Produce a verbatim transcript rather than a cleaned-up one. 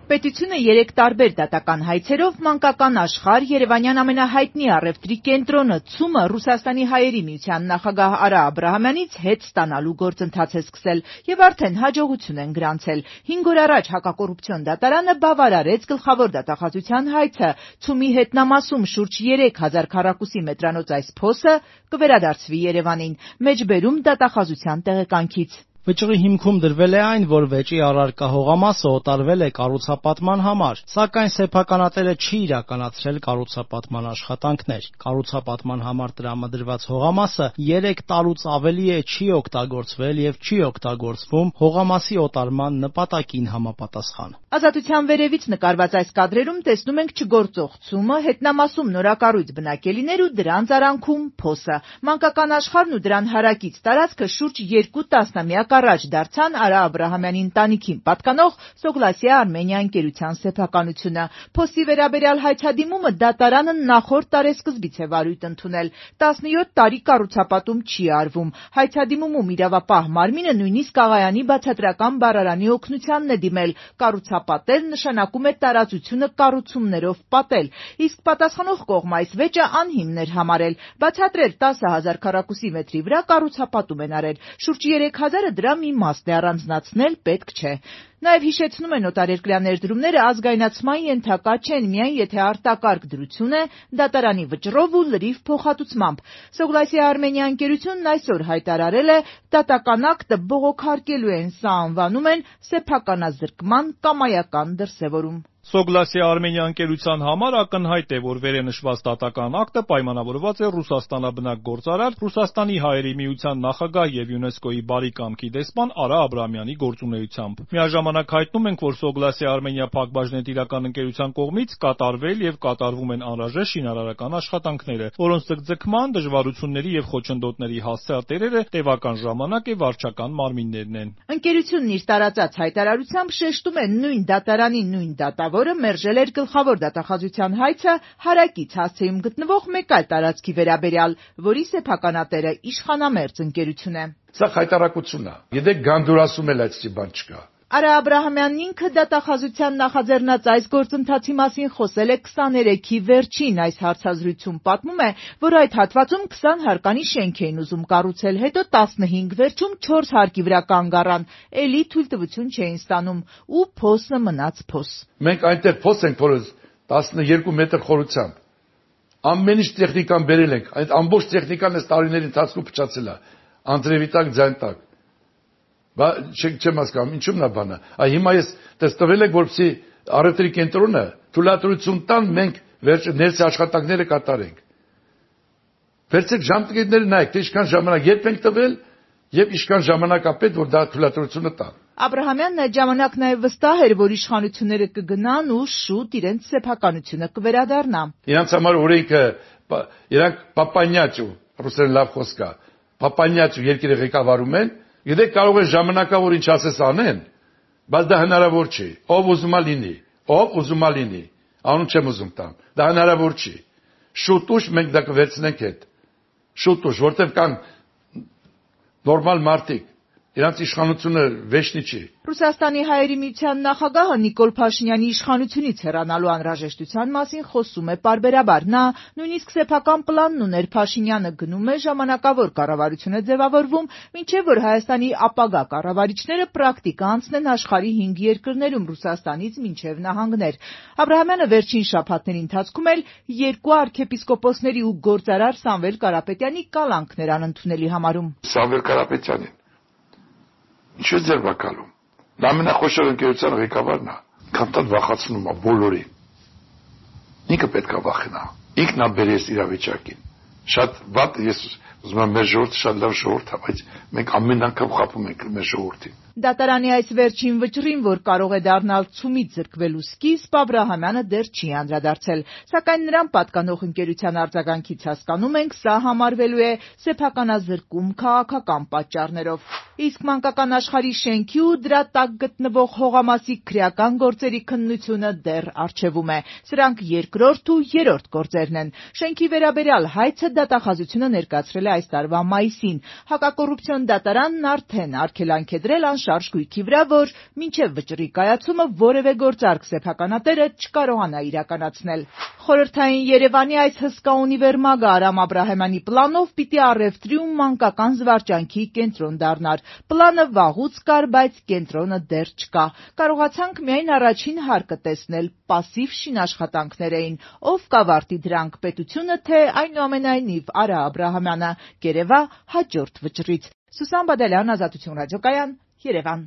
Պետությունը երեք տարբեր դատական հայցերով մանկական աշխարհ, Երևանյան ամենահայտնի առևտրի կենտրոնը ՑՈՒՄ-ը Ռուսաստանի հայերի միության նախագահ Արա Աբրահամյանից հետ ստանալու գործընթաց է սկսել եւ արդեն հաջողություն են գրանցել։ Հինգ օր առաջ հակակոռուպցիոն դատարանը բավարարեց գլխավոր դատախազության հայցը։ ՑՈՒՄ-ի հետնամասում շուրջ երեք հազար քառակուսի մետրանոց այս փոսը կվերադարձվի Երևանին։ Մեջբերում դատախազության տեղեկանքից։ Վճռի հիմքում դրվել է այն, որ վեճի առարկա հողամասը օտարվել է կառուցապատման համար, սակայն սեփականատերը չի իրականացրել կառուցապատման աշխատանքներ։ Կառուցապատման համար տրամադրված հողամասը երեք տարուց ավելի է չի օգտագործվել եւ չի օգտագործվում հողամասի օտարման նպատակին համապատասխան։ Ազատության վերևից նկարված այս կադրերում տեսնում ենք չգործող ՑՈՒՄ-ը, հետնամասում նորակառույց բնակելիներ ու դրանց արանքում փոսը։ Մանկական աշխարհն ու դրան հարակից տարածքը շուրջ երկու տասնամյակ առաջ դարձան Արա Աբրահամյանի ընտանիքին պատկանող Սոգլասիա Արմենիա ընկերության սեփականությունը։ Փոսի վերաբերյալ հայցադիմումը դատարանը նախորդ տարեսկզբից է վարույթ ընդունել։ տասնյոթ տարի կառուցապատում չի արվում։ Հայցադիմումում իրավապահ մարմինը նույնիսկ Աղայանի բացատրական բառարանի օգնությանն է դիմել։ Կառուցապատել նշանակում է տարածությունը կառուցումներով պատել, իսկ պատասխանող կողմը այս վեճը անհիմն էր համարել։ Բացատրել տասը հազար քառակուսի մետրի վրա կառուցապատում են արել։ Շուրջ երեք հազարը դրա մի իմաստ է, առանձնացնել պետք չէ։ Նաև հիշեցնում են օտարերկրյա ներդրումները ազգայնացման ենթակա չեն, միայն եթե արտակարգ դրություն է դատարանի վճռով ու լրիվ փոխհատուցմամբ։ Սոգլասիա Արմենիա ընկերությունն այսօր հայտարարել է դատական ակտը բողոքարկելու են, սա անվանում են սեփականազրկման կամայական դրսևորում։ Սոգլասիա Արմենիա ընկերության համար ակնհայտ է, որ վերենշված դատական ակտը պայմանավորված է Ռուսաստանաբնակ գործարար, Ռուսաստանի հայերի միության նախագահ եւ ՅՈՒՆԵՍԿՕ-ի բարի կամքի դեսպան Արա Աբրահամյանի գործունեությամբ։ Միաժամանակ հայտնում ենք, որ Սոգլասիա Արմենիա փակbaşնետիրական ընկերության կողմից կատարվել եւ կատարվում են անհրաժեշտ շինարարական աշխատանքները, որոնց ձգձգման, դժվարությունների եւ խոչընդոտների հասցեատերերը տևական ժամանակ է վարչական մարմիններն են։ Ընկերությունն իր տարածած հայտարարությամբ շեշտում է նույն դատարանի նույն դատավոր որը մերժել էր գլխավոր դատախազության հայցը հարակից հասցեում գտնվող մեկ այլ տարածքի վերաբերյալ, որի սեփականատերը իշխանամերձ ընկերություն է։ Սա հայտարարություն է։ Գիտեք, գանդուրասում էլ այդպիսի բան չկա։ Արա Աբրահամյանն ինքը դատախազության նախաձեռնած այս գործընթացի մասին խոսել է քսաներեքի վերջին այս հարցազրույցում։ Պատմում է, որ այդ հատվածում քսան հարկանի շենք էին ուզում կառուցել, հետո տասնհինգ վերջում չորս հարկի վրա կանգ առան, էլի թույլտվություն չէին ստանում ու փոսը մնաց փոս։ Մենք այնտեղ փոս ենք փորել տասնյոթ մետր խորությամբ։ Ամեն ինչ տեխնիկան բերել ենք, այդ ամբողջ տեխնիկան այս տարիների ընթացքում փչացել է։ Անձրևի տակ, ձայն տակ։ Բա չեմ հասկանում, ինչու՞մն է բանը։ Այ հիմա ես տեստվել եք, որպեսզի առևտրի կենտրոնը թույլատրություն տան, մենք վերջ ներսի աշխատանքները կատարենք։ Վերցեք ժամկետները նայեք, թե ինչքան ժամանակ երբ ենք տվել եւ ինչքան ժամանակ է պետք, որ դա թույլատրությունը տան։ Աբրահամյանն այդ ժամանակ նաև վստահ էր, որ իշխանությունները կգնան ու շուտ իրենց սեփականությունը կվերադառնա։ Իրանց համար օրենքը, իրանք պապանյաճու, ռուսերեն լավ խոսք է, պապանյաճու երկիրը ղեկավարում են, գիտեք կարող է ժամանակավոր ինչ ասես անեն, բայց դա հնարավոր չի։ Ով ուզում է լինի, ով ուզում է լինի, անուն չեմ ուզում տամ, դա հնարավոր չի։ Շուտ ուշ մենք դա կվերցնենք հետ։ Շուտ ուշ, որտեղ կան նորմալ մարդիկ, իրանց իշխանությունը վեճնի չի։ Ռուսաստանի հայերի միության նախագահը Նիկոլ Փաշինյանի իշխանությունից հեռանալու անհրաժեշտության մասին խոսում է պարբերաբար։ Նա նույնիսկ սեփական պլանն ուներ, Փաշինյանը գնում է, ժամանակավոր կառավարություն է ձևավորվում, մինչև որ Հայաստանի ապագա կառավարիչները պրակտիկա անցնեն աշխարհի հինգ երկրներում, Ռուսաստանից մինչև նահանգներ։ Աբրահամյանը վերջին շաբաթների ընթացքում էլ երկու արքեպիսկոպոսների ու գործարար Սամվել Կարապետյանի կալանքներ անընդունելի համարում։ Սամվել Կարապետյանին ինչու ձեր վակալում։ Դա ամենախոշոր ընկերության ղեկավարն է, քանտան վախացնում է բոլորին։ Ինքը պետք է վախենա։ Ինքն է բերես իրավիճակին։ Շատ վատ ես ուզում եմ մեր ժողովուրդը շատ լավ ժողովուրդ է, բայց մենք ամեն անգամ խաբում ենք մեր ժողովրդին։ Դատարանի այս վերջին վճռին, որ կարող է դառնալ ՑՈՒՄ-ից զրկվելու սկիզբ, Աբրահամյանը դեռ չի անդրադարձել, սակայն նրան պատկանող ընկերության արձագանքից հասկանում ենք, սա համարվելու է սեփականազրկում քաղաքական պատճառներով։ Իսկ մանկական աշխարհի շենքի ու դրա տակ գտնվող հողամասի քրեական գործերի քննությունը դեռ առջևում է։ Սրանք երկրորդ ու երրորդ գործերն են։ Շենքի վերաբերյալ հայցը դատախազությունը ներկայացրել է այս տարվա մայիսին։ Հակակոռուպցիոն դատարանն արդեն արգելանք է դրել անշարժ գույքի վրա, որ մինչև վճռի կայացումը որևէ գործարք սեփականատերը չկարողանա իրականացնել։ Խորհրդային Երևանի այս հսկա ունիվերմագը Արամ Աբրահամյանի պլանով պիտի առևտրի ու մանկական զվարճանքի կենտրոն դառնար։ Պլանը վաղուց կար, բայց կենտրոնը դեռ չկա։ Կարողացանք միայն առաջին հարկը տեսնել, պասիվ շինաշխատանքներ էին։ Ով կավարտի դրանք, պետությունը, թե այնուամենայնիվ Արա Աբրահամյանը, կերևա հաջորդ վճռից։ Սուսան Բադալյան, Ազատություն ռադիոկայան, Երևան։